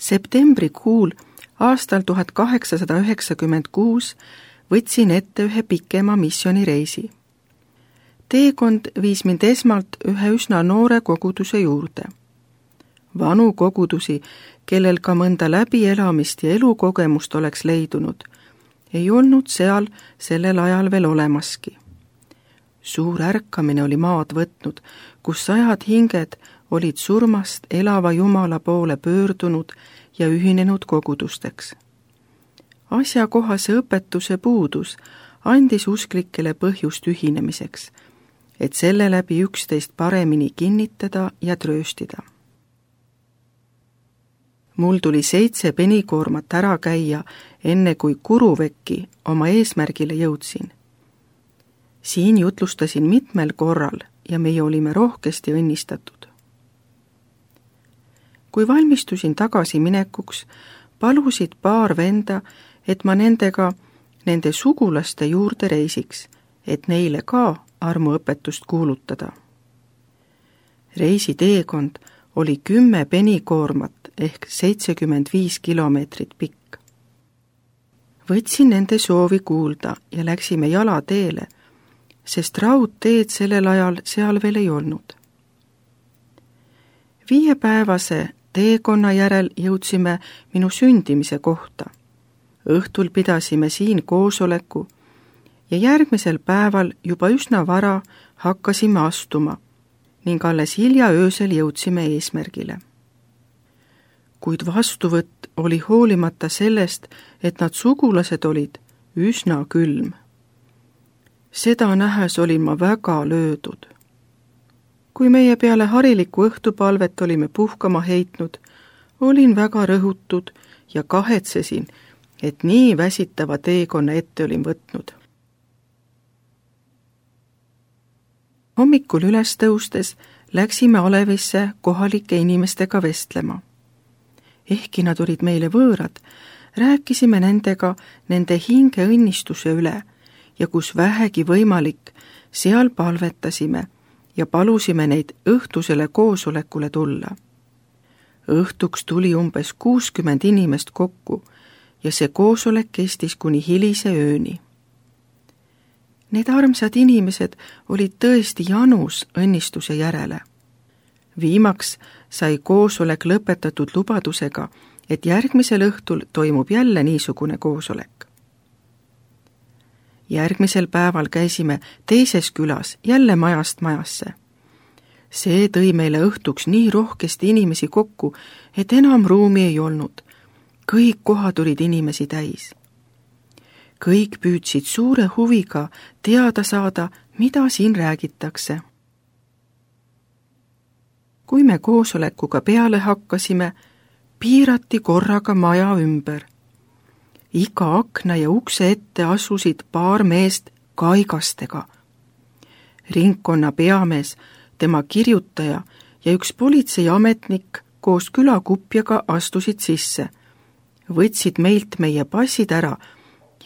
Septembrikuul aastal 1896 võtsin ette ühe pikema missioonireisi. Teekond viis mind esmalt ühe üsna noore koguduse juurde. Vanu kogudusi, kellel ka mõnda läbielamist ja elukogemust oleks leidunud, ei olnud seal sellel ajal veel olemaski. Suur ärkamine oli maad võtnud, kus sajad hinged olid surmast elava Jumala poole pöördunud ja ühinenud kogudusteks. Asjakohase õpetuse puudus andis usklikele põhjust ühinemiseks, et selle läbi üksteist paremini kinnitada ja trööstida. Mul tuli 7 penikoormat ära käia, enne kui Kuruvekki oma eesmärgile jõudsin. Siin jutlustasin mitmel korral ja meie olime rohkesti õnnistatud. Kui valmistusin tagasi minekuks, palusid paar venda, et ma nendega nende sugulaste juurde reisiks, et neile ka armuõpetust kuulutada. Reisi teekond oli 10 penikoormat ehk 75 kilomeetrit pikk. Võtsin nende soovi kuulda ja läksime jalateele, sest raudteed sellel ajal seal veel ei olnud. 5-päevase teekonna järel jõudsime minu sündimise kohta. Õhtul pidasime siin koosoleku ja järgmisel päeval juba üsna vara hakkasime astuma ning alles hilja öösel jõudsime eesmärgile. Kuid vastuvõtt oli hoolimata sellest, et nad sugulased olid, üsna külm. Seda nähes olin ma väga löödud. Kui meie peale harilikku õhtupalvet olime puhkama heitnud, olin väga rõhutud ja kahetsesin, et nii väsitava teekonna ette olin võtnud. Hommikul üles tõustes läksime Alevisse kohalike inimestega vestlema. Ehkki nad olid meile võõrad, rääkisime nendega nende hinge õnnistuse üle ja kus vähegi võimalik, seal palvetasime ja palusime neid õhtusele koosolekule tulla. Õhtuks tuli umbes 60 inimest kokku ja see koosolek kestis kuni hilise ööni. Need armsad inimesed olid tõesti janus õnnistuse järele. Viimaks sai koosolek lõpetatud lubadusega, et järgmisel õhtul toimub jälle niisugune koosolek. Järgmisel päeval käisime teises külas jälle majast majasse. See tõi meile õhtuks nii rohkesti inimesi kokku, et enam ruumi ei olnud. Kõik kohad olid inimesi täis. Kõik püüdsid suure huviga teada saada, mida siin räägitakse. Kui me koosolekuga peale hakkasime, piirati korraga maja ümber. Iga akna ja ukse ette asusid paar meest kaigastega. Ringkonna peamees, tema kirjutaja ja üks politseiametnik koos külakupjaga astusid sisse, võtsid meilt meie passid ära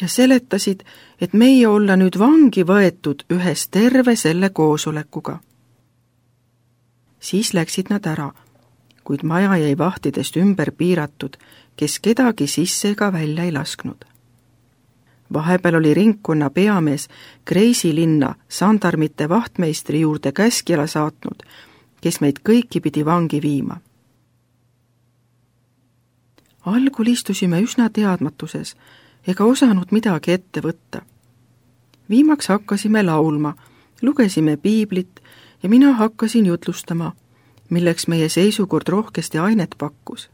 ja seletasid, et meie olla nüüd vangi võetud ühes terve selle koosolekuga. Siis läksid nad ära, kuid maja jäi vahtidest ümber piiratud, kes kedagi sisse ega välja ei lasknud. Vahepeal oli ringkonna peamees Kreisi linna sandarmite vahtmeistri juurde käskjala saatnud, kes meid kõiki pidi vangi viima. Algul istusime üsna teadmatuses ega osanud midagi ette võtta. Viimaks hakkasime laulma, lugesime piiblit ja mina hakkasin jutlustama, milleks meie seisukord rohkesti ainet pakkus.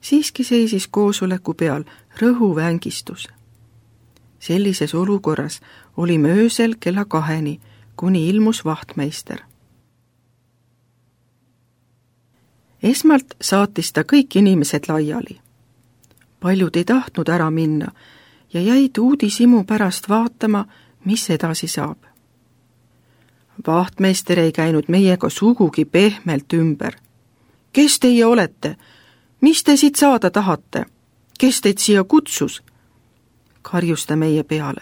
Siiski seisis koosoleku peal rõhuvängistus. Sellises olukorras olime öösel kella 2, kuni ilmus vahtmeister. Esmalt saatis ta kõik inimesed laiali. Paljud ei tahtnud ära minna ja jäid uudishimu pärast vaatama, mis edasi saab. Vahtmeister ei käinud meiega sugugi pehmelt ümber. Kes teie olete? Mis te siit saada tahate? Kes teid siia kutsus? Karjus ta meie peale.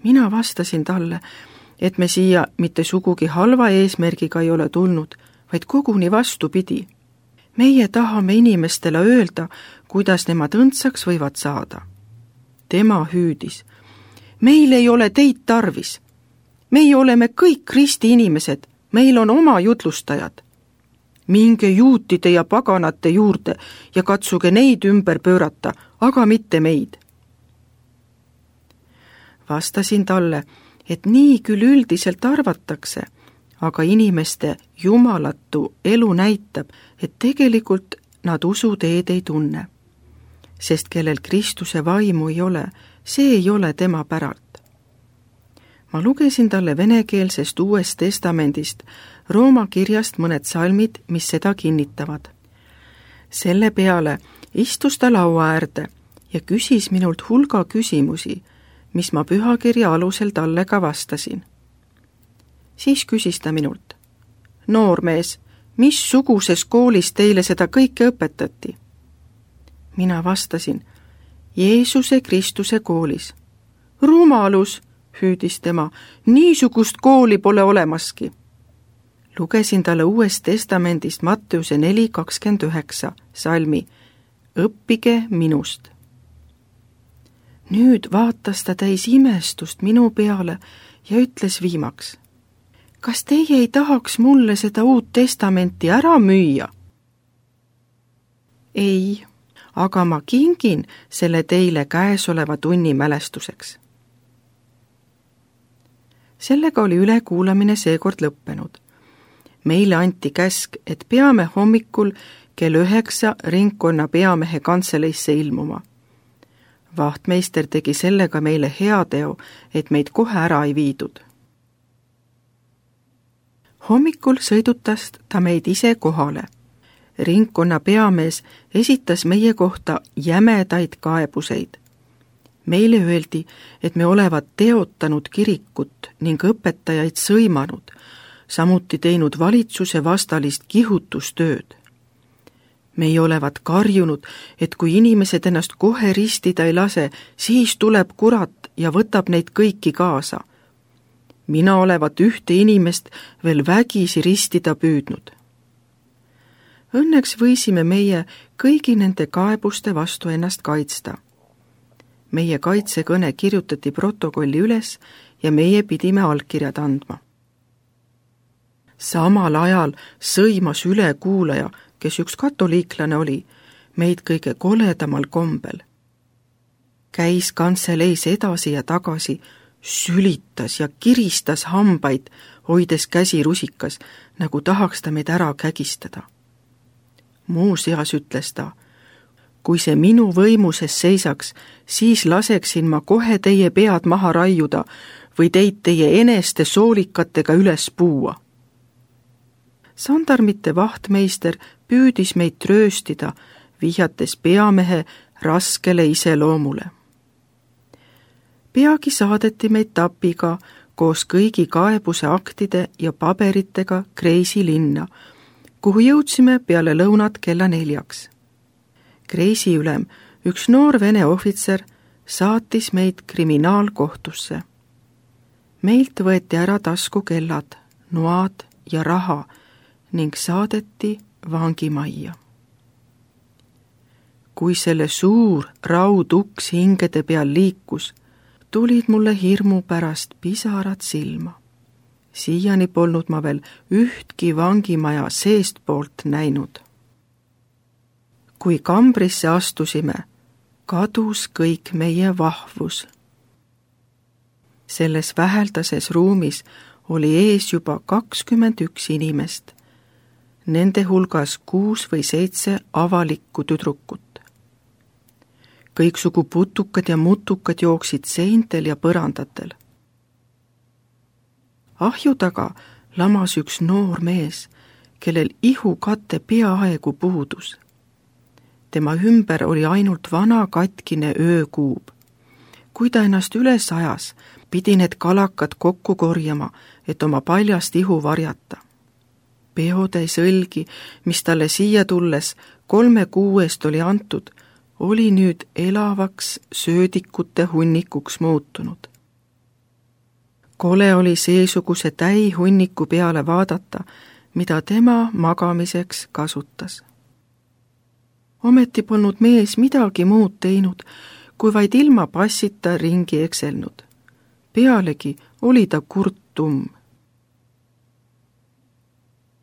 Mina vastasin talle, et me siia mitte sugugi halva eesmärgiga ei ole tulnud, vaid koguni vastupidi. Meie tahame inimestele öelda, kuidas nemad õndsaks võivad saada. Tema hüüdis: meil ei ole teid tarvis. Meie oleme kõik Kristi inimesed, meil on oma jutlustajad. Minge juutide ja paganate juurde ja katsuge neid ümber pöörata, aga mitte meid. Vastasin talle, et nii küll üldiselt arvatakse, aga inimeste jumalatu elu näitab, et tegelikult nad usuteed ei tunne. Sest kellel Kristuse vaimu ei ole, see ei ole tema päralt. Ma lugesin talle venekeelsest Uuest Testamendist Rooma kirjast mõned salmid, mis seda kinnitavad. Selle peale istus ta laua äärde ja küsis minult hulga küsimusi, mis ma pühakirja alusel talle ka vastasin. Siis küsis ta minult: noormees, missuguses koolis teile seda kõike õpetati? Mina vastasin: Jeesuse Kristuse koolis. Rumalus, hüüdis tema, niisugust kooli pole olemaski. Lugesin talle Uuest Testamendist Matteuse 4:29 salmi: õppige minust. Nüüd vaatas ta täis imestust minu peale ja ütles viimaks: kas teie ei tahaks mulle seda Uut Testamenti ära müüa? Ei, aga ma kingin selle teile käesoleva tunni mälestuseks. Sellega oli ülekuulamine seekord lõppenud. Meile anti käsk, et peame hommikul kell 9 ringkonna peamehe kantseleisse ilmuma. Vahtmeister tegi sellega meile heateo, et meid kohe ära ei viidud. Hommikul sõidutas ta meid ise kohale. Ringkonna peamees esitas meie kohta jämedaid kaebuseid. Meile öeldi, et me olevat teotanud kirikut ning õpetajaid sõimanud, samuti teinud valitsuse vastalist kihutustööd. Meie olevat karjunud, et kui inimesed ennast kohe ristida ei lase, siis tuleb kurat ja võtab neid kõiki kaasa. Mina olevat ühte inimest veel vägisi ristida püüdnud. Õnneks võisime meie kõigi nende kaebuste vastu ennast kaitsta. Meie kaitsekõne kirjutati protokolli üles ja meie pidime allkirjad andma. Samal ajal sõimas ülekuulaja, kes üks katoliiklane oli, meid kõige koledamal kombel. Käis kantseleis edasi ja tagasi, sülitas ja kiristas hambaid, hoides käsi rusikas, nagu tahaks ta meid ära kägistada. Muuseas ütles ta: kui see minu võimuses seisaks, siis laseksin ma kohe teie pead maha raiuda või teid teie eneste soolikatega üles puua. Sandarmite vahtmeister püüdis meid trööstida, vihjates peamehe raskele iseloomule. Peagi saadeti meid tapiga koos kõigi kaebuse aktide ja paberitega Kreisi linna, kuhu jõudsime peale lõunat kella 4. Kreisi ülem, üks noor vene ohvitser, saatis meid kriminaalkohtusse. Meilt võeti ära taskukellad, noad ja raha ning saadeti vangimajja. Kui selle suur rauduks hingede peal liikus, tulid mulle hirmu pärast pisarad silma. Siiani polnud ma veel ühtki vangimaja seestpoolt näinud. Kui kambrisse astusime, kadus kõik meie vahvus. Selles väheldases ruumis oli ees juba 21 inimest, nende hulgas 6 või 7 avalikku tüdrukut. Kõiksugu putukad ja mutukad jooksid seintel ja põrandatel. Ahju taga lamas üks noor mees, kellel ihukate peaaegu puudus. Tema ümber oli ainult vana katkine öökuub. Kui ta ennast üles ajas, pidi need kalakad kokku korjama, et oma paljast ihu varjata. Peotäis õlgi, mis talle siia tulles 3 kuu eest oli antud, oli nüüd elavaks söödikute hunnikuks muutunud. Kole oli seesuguse täihunniku peale vaadata, mida tema magamiseks kasutas. Ometi polnud mees midagi muud teinud, kui vaid ilma passita ringi ekselnud. Pealegi oli ta kurttumm.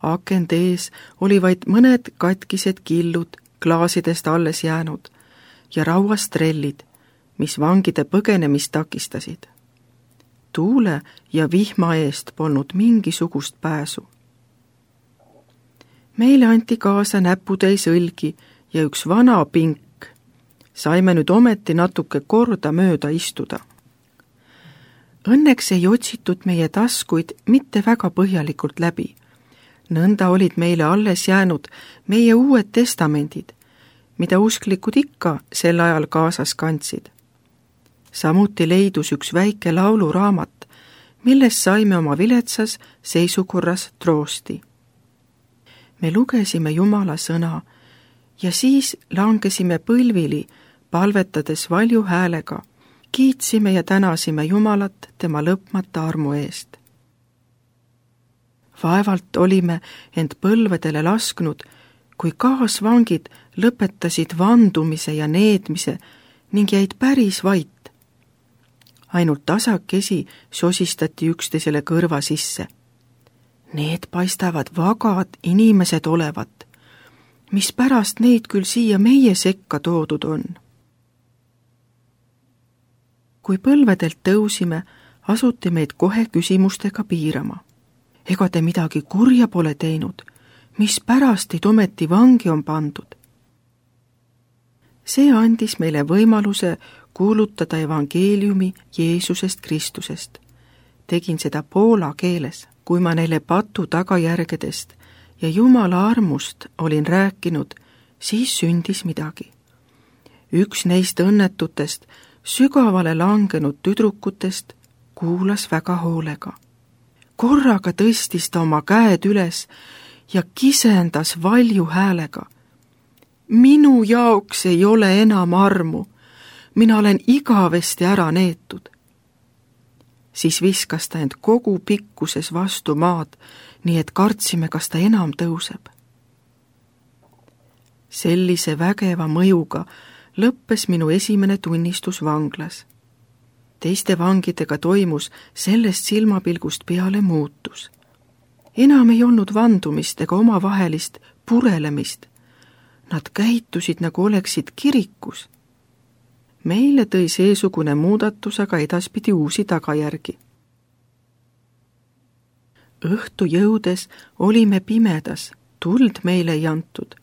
Akende ees oli vaid mõned katkised killud klaasidest alles jäänud ja rauast trellid, mis vangide põgenemist takistasid. Tuule ja vihma eest polnud mingisugust pääsu. Meile anti kaasa näputäis õlgi ja üks vana pink. Saime nüüd ometi natuke korda mööda istuda. Õnneks ei otsitud meie taskuid mitte väga põhjalikult läbi. Nõnda olid meile alles jäänud meie uued testamendid, mida usklikud ikka sel ajal kaasas kandsid. Samuti leidus üks väike lauluraamat, millest saime oma viletsas seisukorras troosti. Me lugesime Jumala sõna ja siis langesime põlvili, palvetades valju häälega, kiitsime ja tänasime Jumalat tema lõpmata armu eest. Vaevalt olime end põlvedele lasknud, kui kaasvangid lõpetasid vandumise ja needmise ning jäid päris vait. Ainult tasakesi sosistati üksteisele kõrva sisse. Need paistavad vagad inimesed olevat, mis pärast neid küll siia meie sekka toodud on. Kui põlvedelt tõusime, asuti meid kohe küsimustega piirama. Ega te midagi kurja pole teinud, mis pärast teid ometi vangi on pandud? See andis meile võimaluse kuulutada evangeeliumi Jeesusest Kristusest. Tegin seda poola keeles, kui ma neile patu tagajärgedest ja Jumala armust olin rääkinud, siis sündis midagi. Üks neist õnnetutest, sügavale langenud tüdrukutest kuulas väga hoolega. Korraga tõstis ta oma käed üles ja kisendas valju häälega. Minu jaoks ei ole enam armu, mina olen igavesti ära neetud. Siis viskas ta end kogu pikkuses vastu maad, nii et kartsime, kas ta enam tõuseb. Sellise vägeva mõjuga lõppes minu esimene tunnistus vanglas. Teiste vangidega toimus sellest silmapilgust peale muutus. Enam ei olnud vandumist ega omavahelist purelemist. Nad käitusid, nagu oleksid kirikus. Meile tõi seesugune muudatus aga edaspidi uusi tagajärgi. Õhtu jõudes olime pimedas, tuld meile ei antud.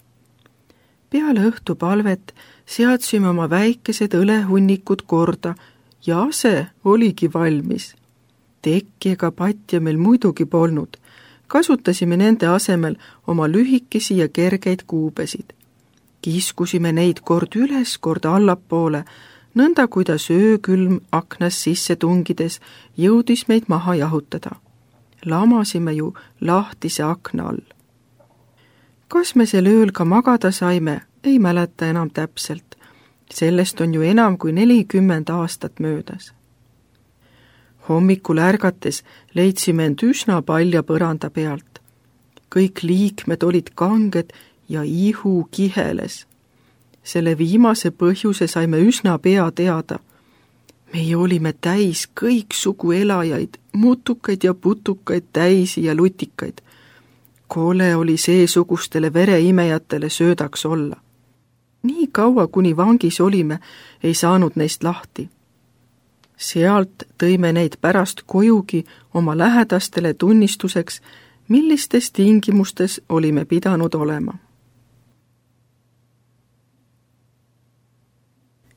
Peale õhtupalvet seadsime oma väikesed õlehunnikud korda ja ase oligi valmis. Tekki ega patja meil muidugi polnud. Kasutasime nende asemel oma lühikesi ja kergeid kuubesid. Kiskusime neid kord üles, kord allapoole, nõnda kuidas öökülm aknas sisse tungides jõudis meid maha jahutada. Lamasime ju lahtise akna all. Kas me sel ööl ka magada saime, ei mäleta enam täpselt. Sellest on ju enam kui 40 aastat möödas. Hommikul ärgates leidsime end üsna palja põranda pealt. Kõik liikmed olid kanged ja ihu kiheles. Selle viimase põhjuse saime üsna pea teada. Meie olime täis kõiksugu elajaid, mutukaid ja putukaid, täisi ja lutikaid. Kole oli seesugustele vereimejatele söödaks olla. Nii kaua, kuni vangis olime, ei saanud neist lahti. Sealt tõime neid pärast kojugi oma lähedastele tunnistuseks, millistes tingimustes olime pidanud olema.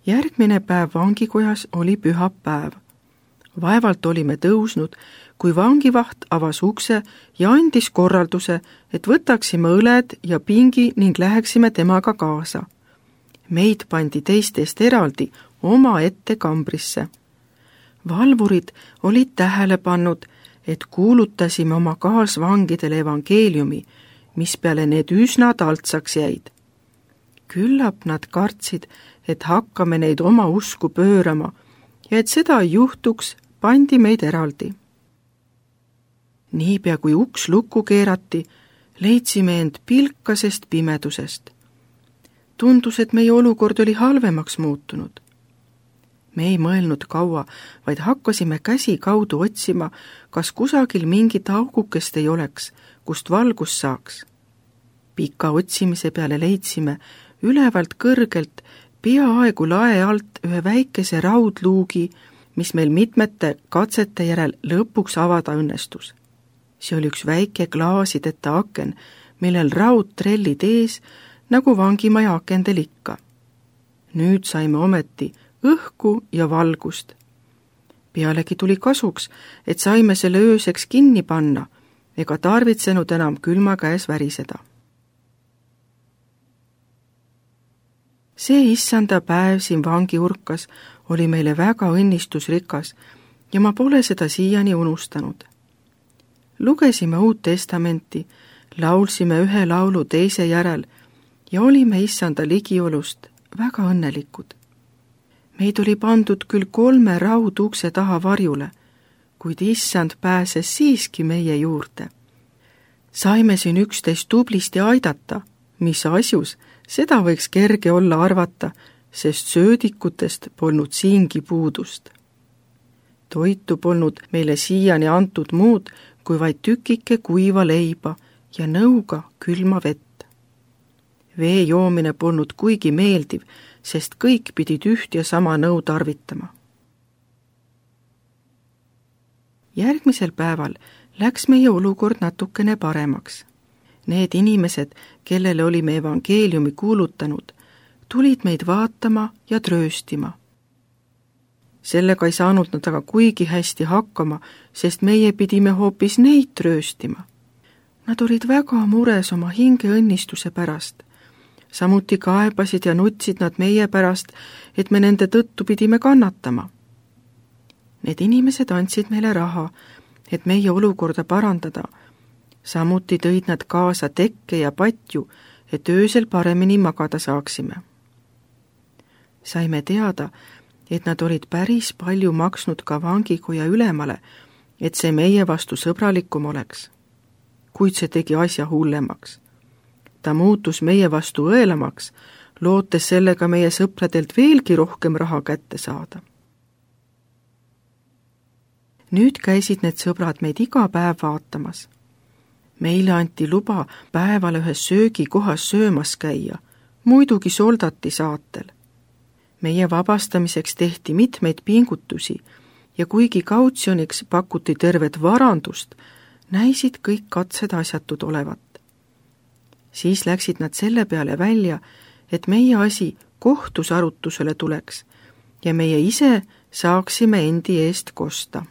Järgmine päev vangikojas oli pühapäev. Vaevalt olime tõusnud, kui vangivaht avas ukse ja andis korralduse, et võtaksime õled ja pingi ning läheksime temaga kaasa. Meid pandi teistest eraldi oma ette kambrisse. Valvurid olid tähele pannud, et kuulutasime oma kaasvangidele evangeeliumi, mis peale need üsna taltsaks jäid. Küllap nad kartsid, et hakkame neid oma usku pöörama ja et seda ei juhtuks, pandi meid eraldi. Niipea kui uks lukku keerati, leidsime end pilkasest pimedusest. Tundus, et meie olukord oli halvemaks muutunud. Me ei mõelnud kaua, vaid hakkasime käsi kaudu otsima, kas kusagil mingit augukest ei oleks, kust valgust saaks. Pika otsimise peale leidsime ülevalt kõrgelt peaaegu lae alt ühe väikese raudluugi, mis meil mitmete katsete järel lõpuks avada õnnestus. See oli üks väike klaasideta aken, millel raudtrellid ees, nagu vangimaja akendel ikka. Nüüd saime ometi õhku ja valgust. Pealegi tuli kasuks, et saime selle ööseks kinni panna ega tarvitsenud enam külma käes väriseda. See issanda päev siin vangiurkas oli meile väga õnnistusrikas ja ma pole seda siiani unustanud. Lugesime Uut Testamenti, laulsime ühe laulu teise järel ja olime issanda ligiolust väga õnnelikud. Meid oli pandud küll 3 raudukse taha varjule, kuid issand pääses siiski meie juurde. Saime siin üksteist tublisti aidata, mis asjus, seda võiks kerge olla arvata, sest söödikutest polnud siingi puudust. Toitu polnud meile siiani antud muud, kui vaid tükike kuiva leiba ja nõuga külma vett. Vee joomine polnud kuigi meeldiv, sest kõik pidid üht ja sama nõu tarvitama. Järgmisel päeval läks meie olukord natukene paremaks. Need inimesed, kellele olime evangeeliumi kuulutanud, tulid meid vaatama ja trööstima. Sellega ei saanud nad aga kuigi hästi hakkama, sest meie pidime hoopis neid trööstima. Nad olid väga mures oma hinge õnnistuse pärast. Samuti kaebasid ja nutsid nad meie pärast, et me nende tõttu pidime kannatama. Need inimesed andsid meile raha, et meie olukorda parandada. Samuti tõid nad kaasa tekke ja patju, et öösel paremini magada saaksime. Saime teada, et nad olid päris palju maksnud ka vangikoja ülemale, et see meie vastu sõbralikum oleks. Kuid see tegi asja hullemaks. Ta muutus meie vastu õelamaks, lootes sellega meie sõpradelt veelgi rohkem raha kätte saada. Nüüd käisid need sõbrad meid iga päev vaatamas. Meile anti luba päeval ühes söögikohas söömas käia, muidugi soldati saatel. Meie vabastamiseks tehti mitmeid pingutusi ja kuigi kautsjoniks pakuti tervet varandust, näisid kõik katsed asjatud olevat. Siis läksid nad selle peale välja, et meie asi kohtus arutusele tuleks ja meie ise saaksime endi eest kosta.